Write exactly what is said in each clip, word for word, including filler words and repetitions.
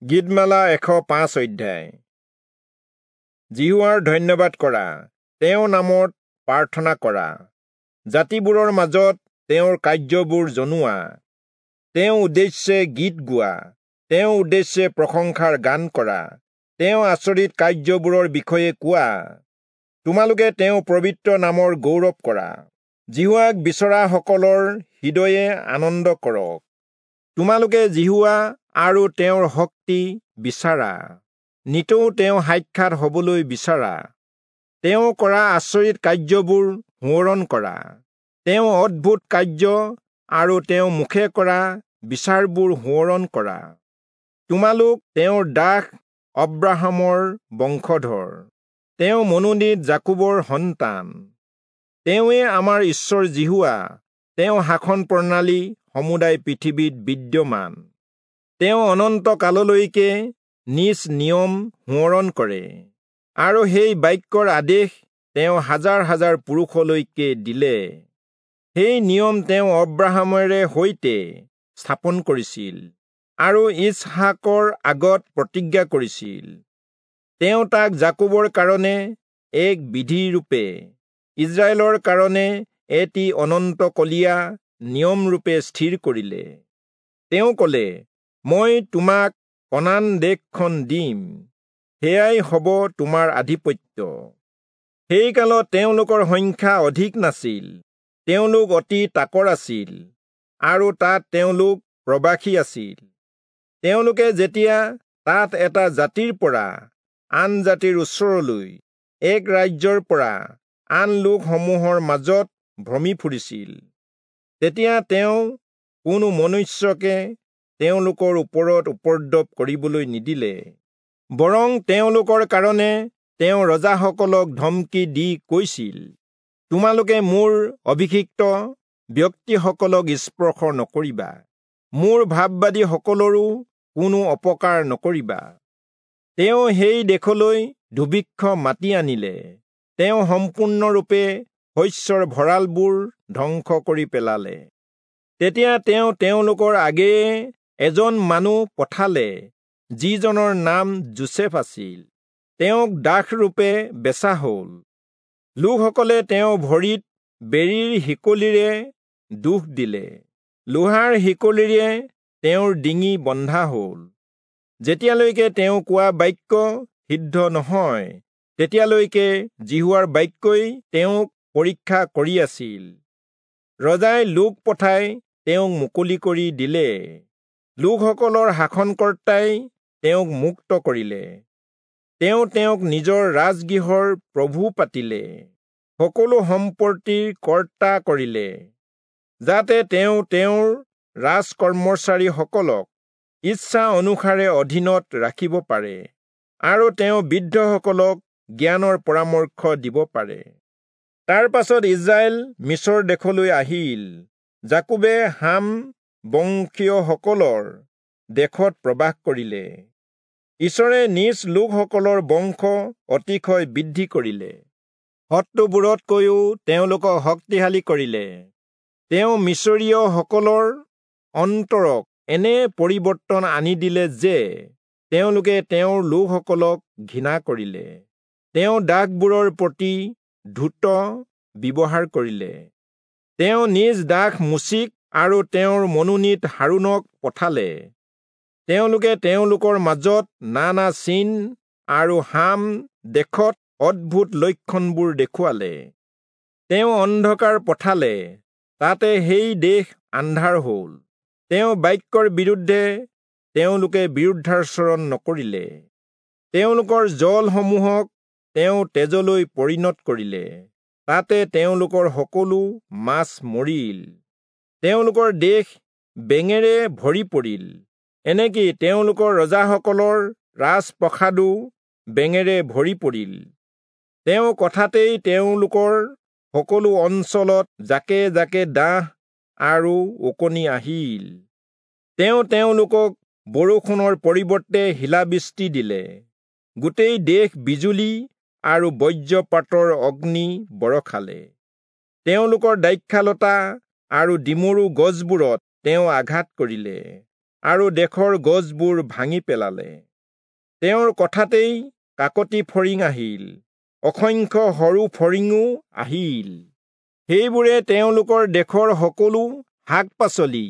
গীতমালা এশ পাঁচ অধ্যায়। যিহোৱাৰ ধন্যবাদ কৰা, তেওঁৰ নামত প্ৰাৰ্থনা কৰা, জাতিবোৰৰ মাজত তেওঁৰ কাৰ্যবোৰ জনোৱা, তেওঁ উদ্দেশ্যে গীত গোৱা, তেওঁ উদ্দেশ্যে প্ৰশংসাৰ গান কৰা, তেওঁ আচৰিত কাৰ্যবোৰৰ বিষয়ে কোৱা। তোমালোকে তেওঁ পবিত্ৰ নামৰ গৌৰৱ কৰা। যিহোৱাক বিচৰাসকলৰ হৃদয়ে আনন্দ কৰক। তোমালোকে যিহোৱা আৰু তেওঁৰ শক্তি বিচাৰা, নিতৌ তেওঁ সাক্ষাৎ হবলৈ বিচাৰা। তেওঁ কৰা আচৰিত কাৰ্যবোৰ সোঁৱৰণ কৰা, তেওঁ অদ্ভুত কাৰ্য আৰু তেওঁ মুখে কৰা বিচাৰবোৰ সোঁৱৰণ কৰা। তোমালোক তেওঁৰ দাস অব্ৰাহামৰ বংশধৰ, তেওঁ মনোনীত যাকোবৰ সন্তান। তেওঁৱে আমাৰ ঈশ্বৰ যিহোৱা, তেওঁ শাসন প্ৰণালী সমুদায় পৃথিৱীত বিদ্যমান। তেওঁ অনন্ত কাললৈকে নিজ নিয়ম সোঁৱৰণ কৰে, আৰু সেই বাক্যৰ আদেশ তেওঁ হাজাৰ হাজাৰ পুৰুষলৈকে দিলে। সেই নিয়ম তেওঁ অব্ৰাহামেৰে সৈতে স্থাপন কৰিছিল আৰু ইচহাকৰ আগত প্ৰতিজ্ঞা কৰিছিল। তেওঁ তাক যাকোবৰ কাৰণে এক বিধিৰূপে, ইস্ৰায়েলৰ কাৰণে এটি অনন্তকলীয়া নিয়মৰূপে স্থিৰ কৰিলে। তেওঁ কলে, মই তোমাক কনান দেশখন দিম, সেয়াই হ'ব তোমাৰ আধিপত্য। সেই কালত তেওঁলোকৰ সংখ্যা অধিক নাছিল, তেওঁলোক অতি তাকৰ আছিল, আৰু তাত তেওঁলোক প্ৰবাসী আছিল। তেওঁলোকে যেতিয়া তাত এটা জাতিৰ পৰা আন জাতিৰ ওচৰলৈ, এক ৰাজ্যৰ পৰা আন লোকসমূহৰ মাজত ভ্ৰমি ফুৰিছিল, তেতিয়া তেওঁ কোনো মনুষ্যকে তেওঁলোকৰ ওপৰত উপদ্ৰৱ কৰিবলৈ নিদিলে, বৰং তেওঁলোকৰ কাৰণে তেওঁ ৰজাসকলক ধমকি দি কৈছিল, তোমালোকে মোৰ অভিষিক্ত ব্যক্তিসকলক স্পৰ্শ নকৰিবা, মোৰ ভাববাদীসকলৰো কোনো অপকাৰ নকৰিবা। তেওঁ সেই দেশলৈ দুৰ্ভিক্ষ মাতি আনিলে, তেওঁ সম্পূৰ্ণৰূপে শস্যৰ ভঁৰালবোৰ ধ্বংস কৰি পেলালে। তেতিয়া তেওঁ তেওঁলোকৰ আগেয়ে এজন মানুহ পঠালে, যিজনৰ নাম যোচেফ আছিল। তেওঁক দাসৰূপে বেচা হ'ল। লোকসকলে তেওঁ ভৰিত বেৰীৰ শিকলিৰে দুখ দিলে, লোহাৰ শিকলিৰে তেওঁৰ ডিঙি বন্ধা হ'ল। যেতিয়ালৈকে তেওঁ কোৱা বাক্য সিদ্ধ নহয়, তেতিয়ালৈকে যিহোৱাৰ বাক্যই তেওঁক পৰীক্ষা কৰি আছিল। ৰজাই লোক পঠাই তেওঁক মুকলি কৰি দিলে। লোকসকলৰ শাসনকৰ্তাই তেওঁক মুক্ত কৰিলে। তেওঁ তেওঁক নিজৰ ৰাজগৃহৰ প্ৰভু পাতিলে, সকলো সম্পত্তিৰ কৰ্তা কৰিলে, যাতে তেওঁ তেওঁৰ ৰাজকৰ্মচাৰীসকলক ইচ্ছা অনুসাৰে অধীনত ৰাখিব পাৰে, আৰু তেওঁ বৃদ্ধসকলক জ্ঞানৰ পৰামৰ্শ দিব পাৰে। তাৰ পাছত ইস্ৰায়েল মিচৰ দেশলৈ আহিল। যাকোবে হাম বংশীয়সকলৰ দেশত প্ৰবাস কৰিলে। ঈশ্বৰে নিজ লোকসকলৰ বংশ অতিশয় বৃদ্ধি কৰিলে, শত্ৰুবোৰতকৈও তেওঁলোকক শক্তিশালী কৰিলে। তেওঁ মিচৰীয়সকলৰ অন্তৰক এনে পৰিৱৰ্তন আনি দিলে যে তেওঁলোকে তেওঁৰ লোকসকলক ঘৃণা কৰিলে। তেওঁ দাসবোৰৰ প্ৰতি দ্ৰুত ব্যৱহাৰ কৰিলে। তেওঁ নিজ দাস মোচিক আৰু তেওঁৰ মনোনীত হাৰোণক পঠালে। তেওঁলোকে তেওঁলোকৰ মাজত নানা চিন আৰু হাম দেশত অদ্ভুত লক্ষণবোৰ দেখুৱালে। তেওঁ অন্ধকাৰ পঠালে, তাতে সেই দেশ আন্ধাৰ হ'ল। তেওঁ বাক্যৰ বিৰুদ্ধে তেওঁলোকে বিৰুদ্ধাচৰণ নকৰিলে। তেওঁলোকৰ জলসমূহক তেওঁ তেজলৈ পৰিণত কৰিলে, তাতে তেওঁলোকৰ সকলো মাছ মৰিল। তেওঁলোকৰ দেশ বেঙেৰে ভৰি পৰিল, এনেকি তেওঁলোকৰ ৰজাসকলৰ ৰাজপ্ৰসাদো বেঙেৰে ভৰি পৰিল। তেওঁ কথাতেই তেওঁলোকৰ সকলো অঞ্চলত জাকে জাকে ডাঁহ আৰু ওকণি আহিল। তেওঁ তেওঁলোকক বৰষুণৰ পৰিৱৰ্তে শিলাবৃষ্টি দিলে, গোটেই দেশ বিজুলী আৰু বজ্ৰপাতৰ অগ্নি বৰষালে। তেওঁলোকৰ দ্ৰাক্ষালতা আৰু ডিমৰু গছবোৰত তেওঁ আঘাত কৰিলে, আৰু দেশৰ গছবোৰ ভাঙি পেলালে। তেওঁৰ কথাতেই কাকতি ফৰিং আহিল, অসংখ্য সৰু ফৰিঙো আহিল। সেইবোৰে তেওঁলোকৰ দেশৰ সকলো শাক পাচলি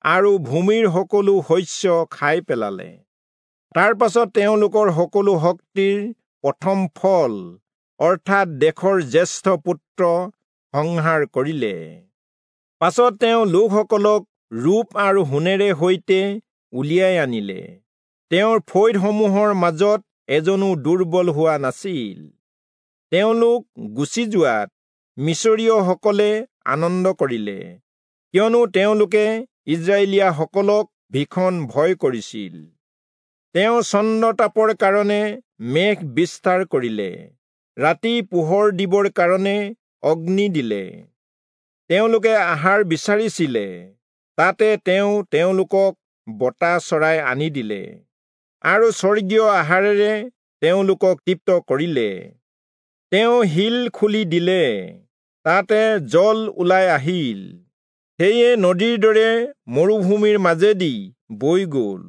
আৰু ভূমিৰ সকলো শস্য খাই পেলালে। তাৰ পাছত তেওঁলোকৰ সকলো শক্তিৰ প্ৰথম ফল, অৰ্থাৎ দেশৰ জ্যেষ্ঠ পুত্ৰ সংহাৰ কৰিলে। পাছত তেওঁ লোকসকলক ৰূপ আৰু সোণেৰে সৈতে উলিয়াই আনিলে। তেওঁৰ ফৈদসমূহৰ মাজত এজনো দুৰ্বল হোৱা নাছিল। তেওঁলোক গুচি যোৱাত মিচৰীয়সকলে আনন্দ কৰিলে, কিয়নো তেওঁলোকে ইস্ৰায়েলীয়াসকলক ভীষণ ভয় কৰিছিল। তেওঁ চন্দ্ৰতাপৰ কাৰণে মেঘ বিস্তাৰ কৰিলে, ৰাতি পোহৰ দিবৰ কাৰণে অগ্নি দিলে। তেওঁলোকে আহাৰ বিচাৰিছিলে, তাতে তেওঁ তেওঁলোকক বতা চৰাই আনি দিলে আৰু স্বৰ্গীয় আহাৰেৰে তেওঁলোকক তৃপ্ত কৰিলে। তেওঁ শিল খুলি দিলে, তাতে জল ওলাই আহিল, সেয়ে নদীৰ দৰে মৰুভূমিৰ মাজেদি বৈ গ'ল।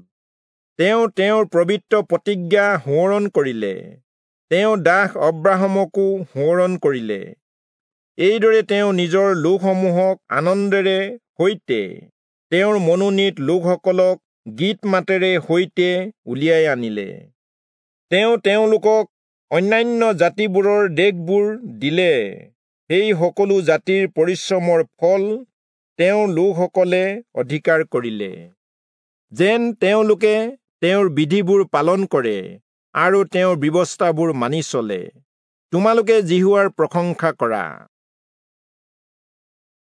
তেওঁ তেওঁৰ পবিত্ৰ প্ৰতিজ্ঞা সোঁৱৰণ কৰিলে, তেওঁ দাস অব্ৰাহামকো সোঁৱৰণ কৰিলে। এইদৰে তেওঁ নিজৰ লোকসমূহক আনন্দেৰে সৈতে, তেওঁৰ মনোনীত লোকসকলক গীত মাতেৰে সৈতে উলিয়াই আনিলে। তেওঁ তেওঁলোকক অন্যান্য জাতিবোৰৰ দেশবোৰ দিলে, সেই সকলো জাতিৰ পৰিশ্ৰমৰ ফল তেওঁৰ লোকসকলে অধিকাৰ কৰিলে, যেন তেওঁলোকে তেওঁৰ বিধিবোৰ পালন কৰে আৰু তেওঁৰ ব্যৱস্থাবোৰ মানি চলে। তোমালোকে যিহোৱাৰ প্ৰশংসা কৰা।